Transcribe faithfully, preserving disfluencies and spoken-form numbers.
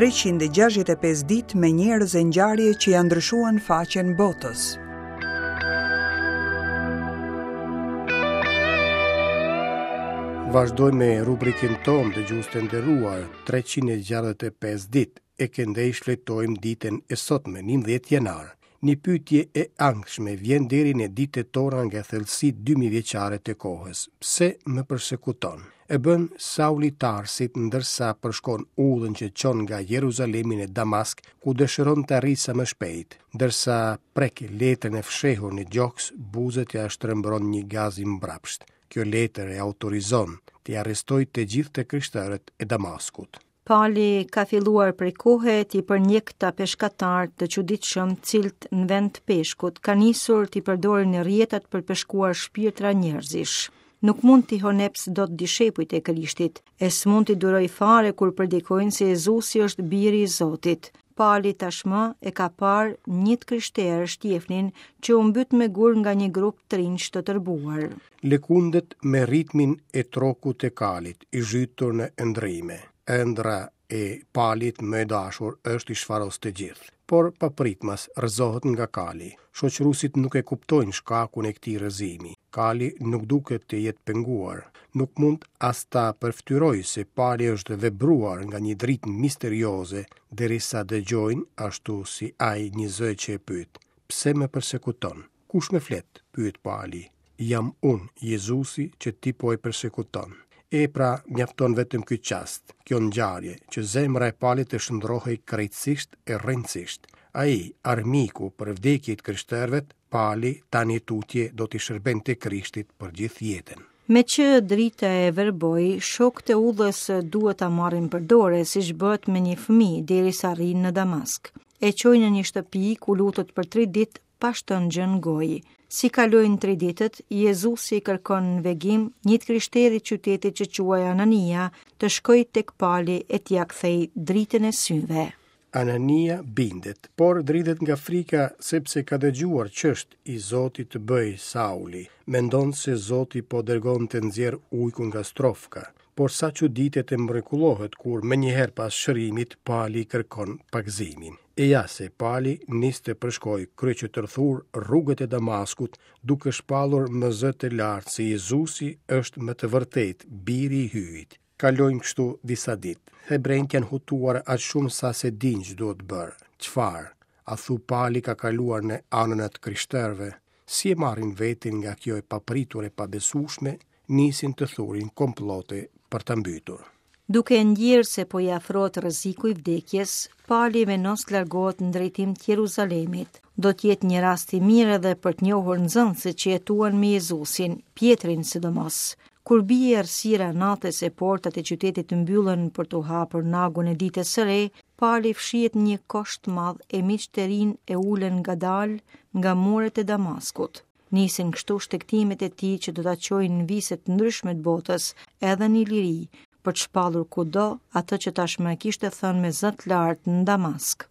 treqind e gjashtëdhjetë e pesë ditë me njerëz e ngjarje që janë ndryshuan faqen botës. Vazhdojmë me rubrikën tonë dëgjues të nderuar, treqind e gjashtëdhjetë e pesë ditë, e këndej shfletojmë ditën e sotme, njëmbëdhjetë janar. Një pyetje e ankthshme vjen deri në ditët tona nga thellësitë dy mijë vjeçare të kohës. Pse më persekuton? E bën Sauli Tarsit ndërsa përshkon udhën që çon nga Jeruzalemi në Damask, ku dëshiron të arrijë sa më shpejt. Ndërsa prek letrën e fshehur në gjoks, buzët ia shtrembëron një gaz i mbrapsht. Kjo letër e autorizon t'i arrestojë të gjithë të krishterët e Damaskut. Pali ka filluar prej kohe t'i përndjek këta peshkatar të çuditshëm, cilët në vend të peshkut ka nisur t'i përdorin rrjetat për peshkuar shpirtra njerëzish. Nuk mund t'i honeps dot dishepujt e Krishtit, e s'mund t'i duroj fare kur predikojnë se Jezusi është biri i Zotit. Pali tashmë e ka parë një të krishterë Shtjefnin që u mbyt me gur nga një grup trinç të tërbuar. Lëkundet me ritmin e trokut të kalit, i zhytur në ëndrrime. Ëndra e Palit më e dashur është i shfaros të gjithë, por papritmas rrëzohet nga kali. Shoqëruesit nuk e kuptojnë shkakun e këtij rrëzimi. Kali nuk duket të jetë penguar, nuk mund as ta përfytyrojë se Pali është vebruar nga një dritë misterioze, derisa dëgjojnë, ashtu si ai, një zë që e pyet: Pse më persekuton? Kush më flet? Pyet Pali. Jam unë, Jezusi, që ti po e persekuton. E pra, mjafton vetëm ky çast, kjo ngjarje, që zemra e Palit të shndrohej krejtësisht e rrënësisht. Ai, armiku për vdekje të krishterëve, Pali tani tutje do t'i shërbente Krishtit për gjithë jetën. Me që drita e verboi, shokët e udhës duhet ta marrin për dore, siç bëhet me një fëmijë derisa arrin në Damask. E çojnë në një shtëpi ku lutet për tri ditë pa shtënë gjë në gojë. Si kalojnë tri ditët, Jezusi kërkon në vegim një të krishteri qytetit që quaj Anania të shkojë tek Pali e t'ia kthej dritën e syve. Anania bindet, por dridhet nga frika sepse ka dëgjuar ç'është i Zoti të bëj Sauli. Mendon se Zoti po dërgon të nxjerr ujkun nga strofka, por sa çuditet e mrekullohet kur menjëherë pas shërimit Pali kërkon pagëzimin. E ja se Pali nis të përshkoj kryeqytetthur rrugët e Damaskut, duke shpallur me zë të lartë se Jezusi është me të vërtetë biri i Hyjit. Kalojnë kështu disa ditë. Hebrejt janë hutuar aq shumë sa se dinë ç'duhet bërë. Çfarë? A thu Pali ka kaluar në anën e të krishterëve? Si e marrin vetin nga kjo e papritur e pabesueshme, nisin të thurin komplote për ta mbytur. Duke e ndjerë se po i afrohet rreziku i vdekjes, Pali vendos të largohet në drejtim të Jeruzalemit. Do të jetë një rast i mirë edhe për të njohur nxënësit që jetuan me Jezusin, Pjetrin sidomos. Kur bie errësira natës e portat e qytetit mbyllen për t'u hapur nagun e ditës së re, Pali fshihet në një kosh të madh e miqtë të rinj e ulen ngadalë nga muret e Damaskut. Nisin kështu shtegtimet e tij që do ta çojnë në vise të ndryshme të botës, edhe në Iliri, për të shpallur kudo atë që tashmë e kishte thënë me zë të lartë në Damask.